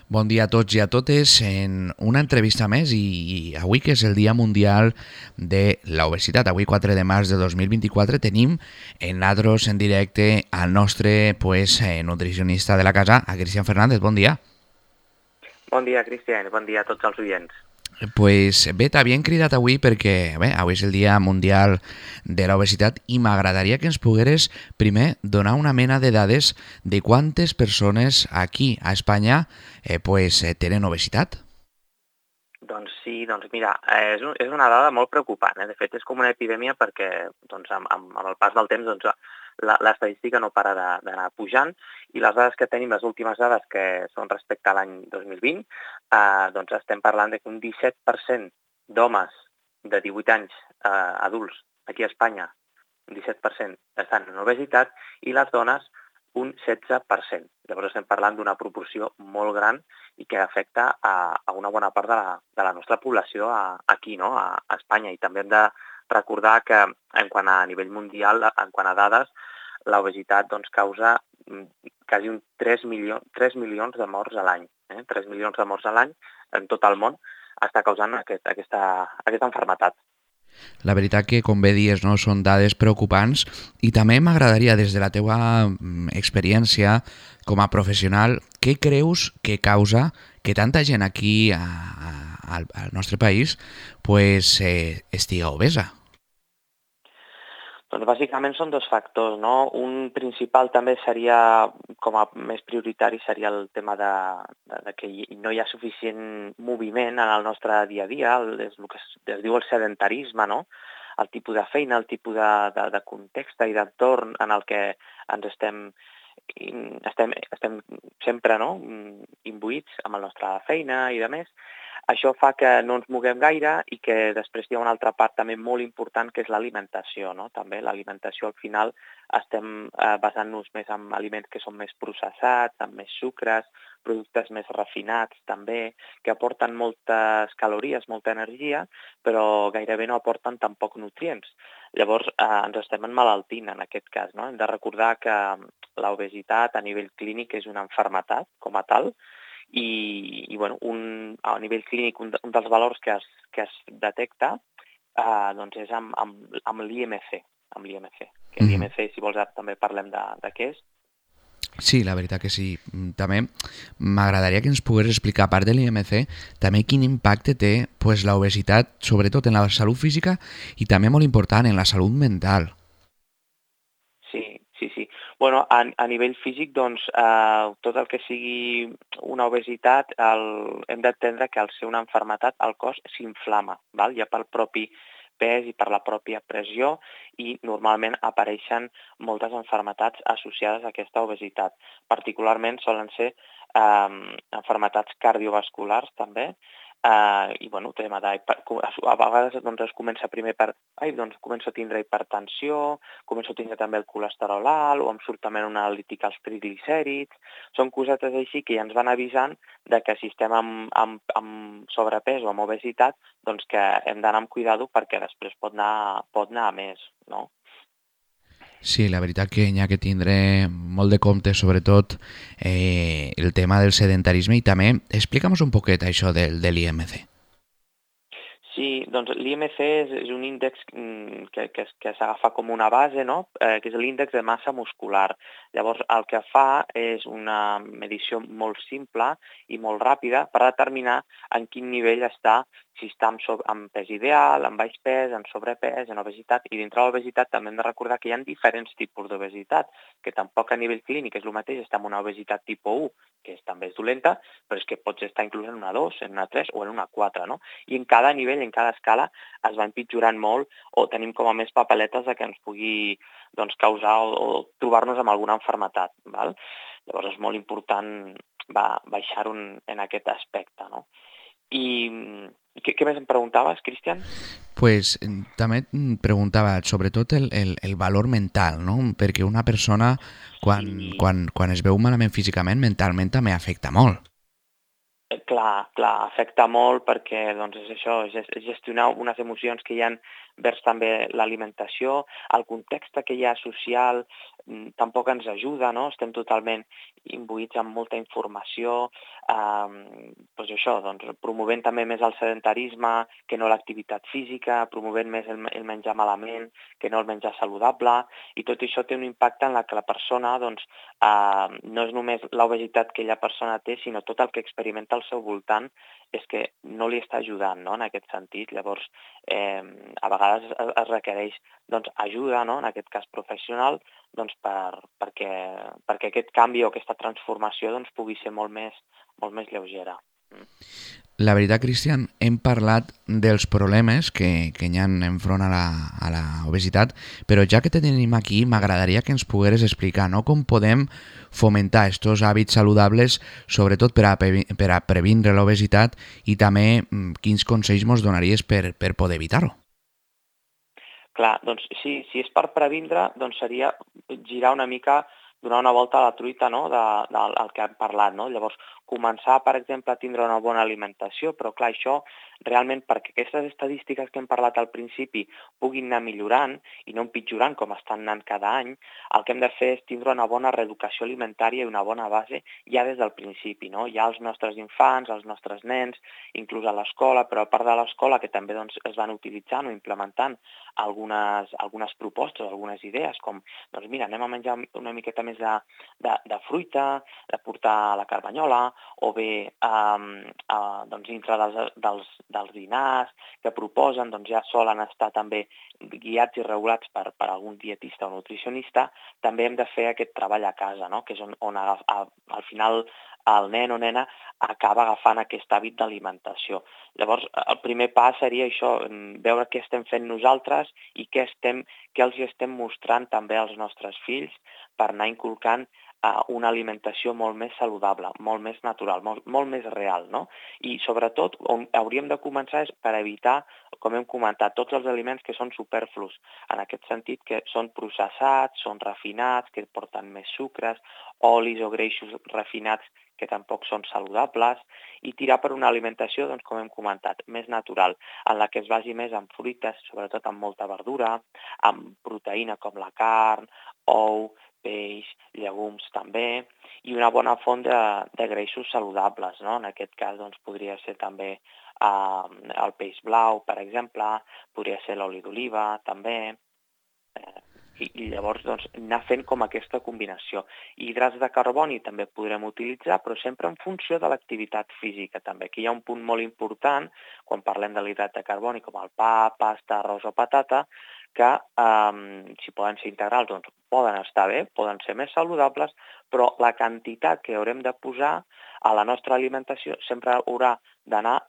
Bon dia a tots i a totes en una entrevista més i avui que és el Dia Mundial de l'Obesitat, avui 4 de març de 2024 tenim en Ladros en directe al nostre nutricionista de la casa, a Cristian Fernández. Bon dia. Bon dia, Cristian. Bon dia a tots els oients. Pues bé, t'havien cridat avui perquè avui és el Dia Mundial de l'Obesitat i m'agradaria que ens pogueres primer donar una mena de dades de quantes persones aquí a Espanya tenen obesitat. Doncs sí, doncs mira, és una dada molt preocupant. De fet, és com una epidèmia perquè amb el pas del temps l'estadística no para d'anar pujant i les dades que tenim, les últimes dades que són respecte a l'any 2020, doncs estem parlant de que un 17% d'homes de 18 anys adults aquí a Espanya, un 17% estan en obesitat i les dones un 16%. Llavors estem parlant d'una proporció molt gran i que afecta a una bona part de la nostra població aquí, no? a Espanya. I també hem de recordar que en quant a nivell mundial, en quant a dades, l'obesitat doncs, causa quasi 3 milions de morts a l'any. 3 milions de morts a l'any en tot el món està causant aquesta malaltia. La veritat que, com bé dius, no, són dades preocupants i també m'agradaria, des de la teua experiència com a professional, què creus que causa que tanta gent aquí al nostre país estiga obesa? Doncs bàsicament són dos factors, no? Un principal també seria, com a més prioritari, seria el tema de que no hi ha suficient moviment en el nostre dia a dia, és el que es diu el sedentarisme, no? El tipus de feina, el tipus de context i d'entorn en el que ens estem sempre, no? Imbuïts amb la nostra feina i de més. Això fa que no ens moguem gaire i que després hi ha una altra part també molt important que és l'alimentació, no? També l'alimentació al final estem basant-nos més en aliments que són més processats, amb més sucres, productes més refinats també, que aporten moltes calories, molta energia, però gairebé no aporten tampoc nutrients. Llavors ens estem emmalaltint en aquest cas, no? Hem de recordar que l'obesitat a nivell clínic és una malaltia com a tal, i bueno, a nivell clínic un dels valors que es detecta doncs és amb l'IMC, que l'IMC, si vols, també parlem de què és. Sí, la veritat que sí. També m'agradaria que ens pogués explicar, a part de l'IMC, també quin impacte té l'obesitat, sobretot en la salut física i també molt important en la salut mental. Sí. Bueno, a nivell físic, doncs, tot el que sigui una obesitat, hem d'entendre que al ser una malaltia el cos s'inflama, ja pel propi pes i per la pròpia pressió, i normalment apareixen moltes malalties associades a aquesta obesitat. Particularment solen ser malalties cardiovasculars també, i bueno, a vegades doncs, es comença primer començo a tindre hipertensió, començo a tindre també el colesterol alt, o em surt també una analítica als triglicèrids. Són cosetes així que ja ens van avisant de que si estem amb sobrepès o amb obesitat, doncs que hem d'anar amb cuidado perquè després pot anar a més, no? Sí, la veritat que hi ha que tindre molt de compte, sobretot el tema del sedentarisme, i també explica'm un poquet això de l'IMC. Sí, doncs l'IMC és un índex que s'agafa com una base, no? Que és l'índex de massa muscular. Llavors, el que fa és una medició molt simple i molt ràpida per determinar en quin nivell està, si està amb pes ideal, amb baix pes, en sobrepès, en obesitat. I dintre de l'obesitat també hem de recordar que hi ha diferents tipus d'obesitat, que tampoc a nivell clínic és el mateix estar en una obesitat tipus 1, que també és dolenta, però és que pots estar inclús en una 2, en una 3 o en una 4, no? I en cada nivell, en cada escala, es va empitjorant molt o tenim com a més papeletes que ens pugui causar o trobar-nos amb alguna malaltia. Llavors és molt important baixar-ho en aquest aspecte, no? I què més em preguntaves, Cristian? També et preguntava sobretot el valor mental, no? Perquè una persona quan es veu malament físicament, mentalment també afecta molt. Clar, afecta molt perquè doncs, és això, és gestionar unes emocions que hi ha vers també l'alimentació, el context que hi ha social tampoc ens ajuda, no? Estem totalment imbuïts amb molta informació, doncs això, doncs, promovent també més el sedentarisme que no l'activitat física, promovent més el menjar malament que no el menjar saludable, i tot això té un impacte en la que la persona doncs, no és només l'obesitat que aquella persona té, sinó tot el que experimenta al seu voltant és que no li està ajudant, no?, en aquest sentit. Llavors, a vegades es requereix doncs, ajuda, no?, en aquest cas professional, doncs, perquè aquest canvi o aquesta transformació doncs, pugui ser molt més lleugera. La veritat, Cristian, hem parlat dels problemes que hi ha enfront a la obesitat, però ja que te tenim aquí, m'agradaria que ens pogueres explicar, no?, com podem fomentar aquests hàbits saludables, sobretot per a previndre l'obesitat, i també quins consells ens donaries per poder evitar-ho. Clar, doncs si és per previndre, doncs seria girar una mica, donar una volta a la truita, no?, del que hem parlat, no? Llavors, començar, per exemple, a tindre una bona alimentació, però clar, això realment perquè aquestes estadístiques que hem parlat al principi puguin anar millorant i no empitjorant com estan anant cada any, el que hem de fer és tindre una bona reeducació alimentària i una bona base ja des del principi, no? Ja els nostres infants, els nostres nens, inclús a l'escola, però a part de l'escola que també doncs, es van utilitzant o implementant algunes propostes, algunes idees, com, doncs mira, anem a menjar una miqueta més de fruita, de portar la carbanyola, o bé doncs, dintre dels dinars que proposen, doncs ja solen estar també guiats i regulats per algun dietista o nutricionista. També hem de fer aquest treball a casa, no?, que és on al final el nen o nena acaba agafant aquest hàbit d'alimentació. Llavors, el primer pas seria això, veure què estem fent nosaltres i què els estem mostrant també als nostres fills per anar inculcant una alimentació molt més saludable, molt més natural, molt més real, no? I sobretot on hauríem de començar és per evitar, com hem comentat, tots els aliments que són superflus, en aquest sentit que són processats, són refinats, que porten més sucres, olis o greixos refinats que tampoc són saludables, i tirar per una alimentació, doncs, com hem comentat, més natural, en la que es basi més en fruites, sobretot amb molta verdura, amb proteïna com la carn, ou, peix, llegums també, i una bona font de greixos saludables, no? En aquest cas doncs, podria ser també el peix blau, per exemple, podria ser l'oli d'oliva també, i llavors doncs, anar fent com aquesta combinació. Hidrats de carboni també podrem utilitzar, però sempre en funció de l'activitat física també. Aquí hi ha un punt molt important, quan parlem de l'hidrat de carboni, com el pa, pasta, arròs o patata, que si poden ser integrals, doncs poden estar bé, poden ser més saludables, però la quantitat que haurem de posar a la nostra alimentació sempre haurà d'anar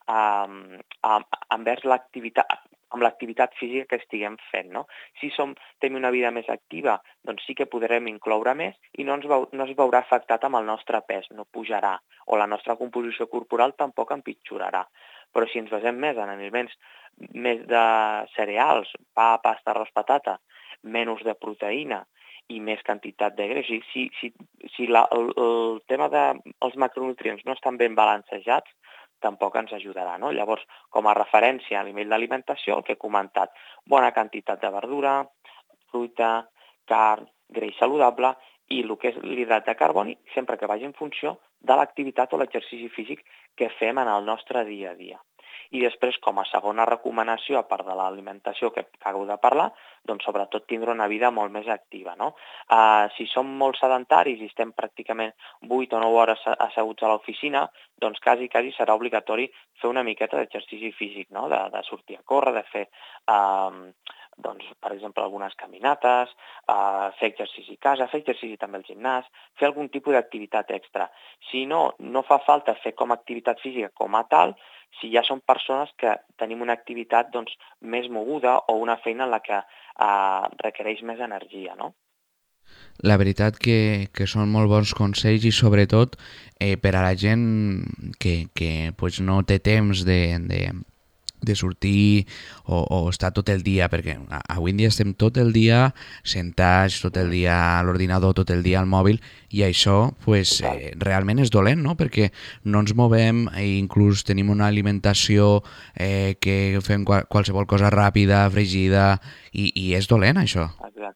envers l'activitat física que estiguem fent, no? Si tenim una vida més activa, doncs sí que podrem incloure més i no es veurà afectat amb el nostre pes, no pujarà, o la nostra composició corporal tampoc empitjorarà. Però si ens basem més en aliments més de cereals, pa, pasta, arròs, patata, menys de proteïna i més quantitat de greix, si el tema dels macronutrients no estan ben balancejats, tampoc ens ajudarà, no? Llavors, com a referència a nivell d'alimentació, el que he comentat, bona quantitat de verdura, fruita, carn, greix saludable i el que és l'hidrat de carboni, sempre que vagi en funció de l'activitat o l'exercici físic que fem en el nostre dia a dia. I després, com a segona recomanació, a part de l'alimentació que acabo de parlar, doncs sobretot tindre una vida molt més activa, no? Si som molt sedentaris i estem pràcticament 8 o 9 hores asseguts a l'oficina, doncs quasi serà obligatori fer una miqueta d'exercici físic, no? De sortir a córrer, de fer doncs, per exemple, algunes caminates, fer exercici a casa, fer exercici també al gimnàs, fer algun tipus d'activitat extra. Si no fa falta fer com a activitat física com a tal, si ja són persones que tenim una activitat doncs, més moguda o una feina en la que requereix més energia, no? La veritat que són molt bons consells i sobretot per a la gent que pues, no té temps de sortir o estar tot el dia, perquè avui en dia estem tot el dia sentats, tot el dia a l'ordinador, tot el dia al mòbil, i això pues, realment és dolent, no? Perquè no ens movem i inclús tenim una alimentació que fem qualsevol cosa ràpida, fregida, i és dolent això. Exacte.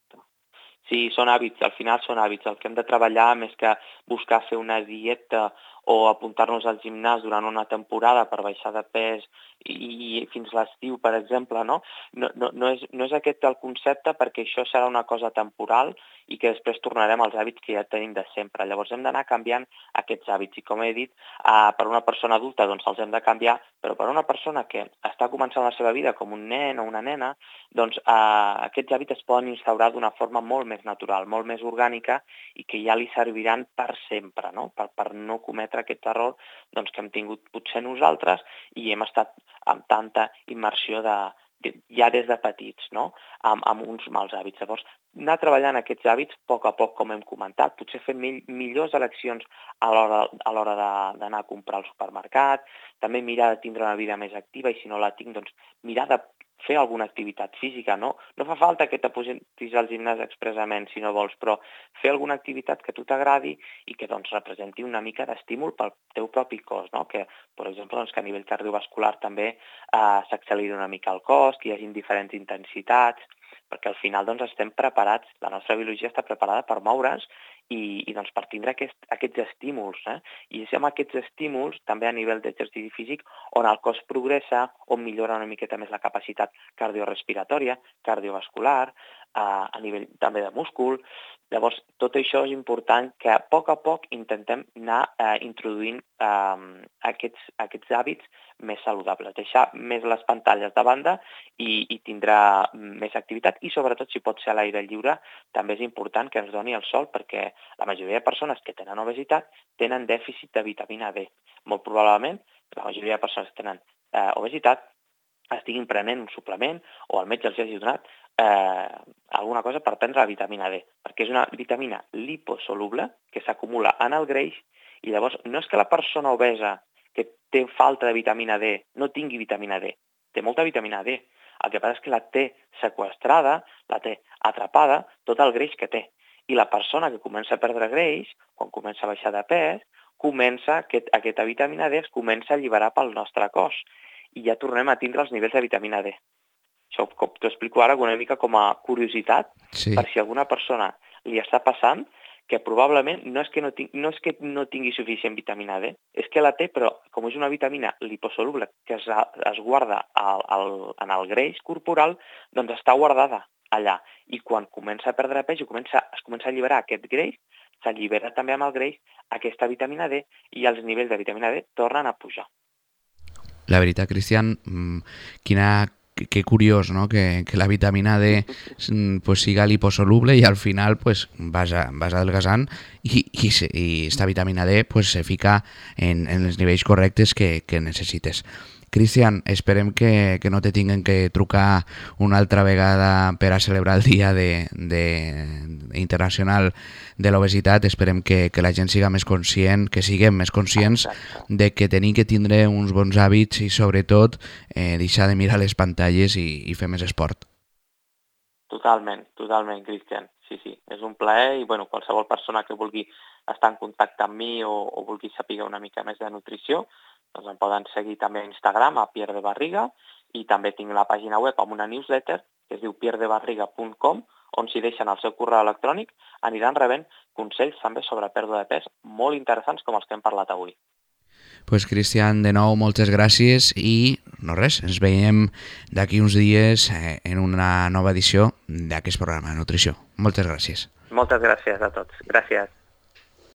Sí, són hàbits, al final són hàbits. El que hem de treballar, més que buscar fer una dieta o apuntar-nos al gimnàs durant una temporada per baixar de pes i fins l'estiu, per exemple, no? No és aquest el concepte, perquè això serà una cosa temporal i que després tornarem als hàbits que ja tenim de sempre. Llavors hem d'anar canviant aquests hàbits i, com he dit, per una persona adulta doncs els hem de canviar, però per una persona que està començant la seva vida com un nen o una nena, doncs aquests hàbits es poden instaurar d'una forma molt més natural, molt més orgànica i que ja li serviran per sempre, no? Per no cometre aquest error doncs, que hem tingut potser nosaltres i hem estat amb tanta immersió ja des de petits, no? Amb uns mals hàbits. Llavors, anar treballant aquests hàbits a poc, com hem comentat, potser fer millors eleccions a l'hora d'anar a comprar al supermercat, també mirar de tindre una vida més activa i si no la tinc, doncs mirar de fer alguna activitat física, no? No fa falta que t'apuntis al gimnàs expressament si no vols, però fer alguna activitat que a tu t'agradi i que doncs, representi una mica d'estímul pel teu propi cos, no? Que, per exemple, doncs, que a nivell cardiovascular també s'acceleri una mica el cos, que hi hagi diferents intensitats, perquè al final doncs, estem preparats, la nostra biologia està preparada per moure's i doncs, per tindre aquests estímuls. I és amb aquests estímuls, també a nivell d'exercici físic, on el cos progressa, on millora una miqueta més la capacitat cardiorespiratòria, cardiovascular, a nivell també de múscul. Llavors, tot això és important que a poc intentem anar introduint aquests hàbits més saludables, deixar més les pantalles de banda i tindrà més activitat i sobretot si pot ser a l'aire lliure també és important que ens doni el sol perquè la majoria de persones que tenen obesitat tenen dèficit de vitamina D. Molt probablement la majoria de persones que tenen obesitat estiguin prenent un suplement o el metge els hagi donat alguna cosa per prendre la vitamina D, perquè és una vitamina liposoluble que s'acumula en el greix i llavors no és que la persona obesa que té falta de vitamina D no tingui vitamina D, té molta vitamina D. El que passa és que la té seqüestrada, la té atrapada, tot el greix que té. I la persona que comença a perdre greix, quan comença a baixar de pes, aquesta vitamina D es comença a alliberar pel nostre cos i ja tornem a tindre els nivells de vitamina D. Això t'ho explico ara una mica com a curiositat, sí. Per si alguna persona li està passant, que probablement no és que no tingui suficient vitamina D, és que la té, però com és una vitamina liposoluble que es guarda en el greix corporal, doncs està guardada allà. I quan comença a perdre pes i es comença a alliberar aquest greix, s'allibera també amb el greix aquesta vitamina D i els nivells de vitamina D tornen a pujar. La veritat, Cristian, que curiós, no? Que la vitamina D pues, siga liposoluble i al final pues, vas adelgazant i esta vitamina D pues, se fica en els nivells correctes que necessites. Cristian, esperem que no te tinguen que trucar una altra vegada per a celebrar el Dia Internacional de l'Obesitat. Esperem que la gent siga més conscient, que siguem més conscients de que tenim que tindre uns bons hàbits i sobretot deixar de mirar les pantalles i fer més esport. Totalment, Cristian. Sí, és un plaer i qualsevol persona que vulgui estar en contacte amb mi o vulgui saber una mica més de nutrició, doncs em poden seguir també a Instagram, a Pierre de Barriga, i també tinc la pàgina web amb una newsletter que es diu pierdebarriga.com, on si deixen el seu correu electrònic aniran rebent consells també sobre pèrdua de pes molt interessants com els que hem parlat avui. Pues Cristian, de nou, moltes gràcies i no res, ens veiem d'aquí uns dies en una nova edició d'aquest programa de nutrició. Moltes gràcies. Moltes gràcies a tots. Gràcies.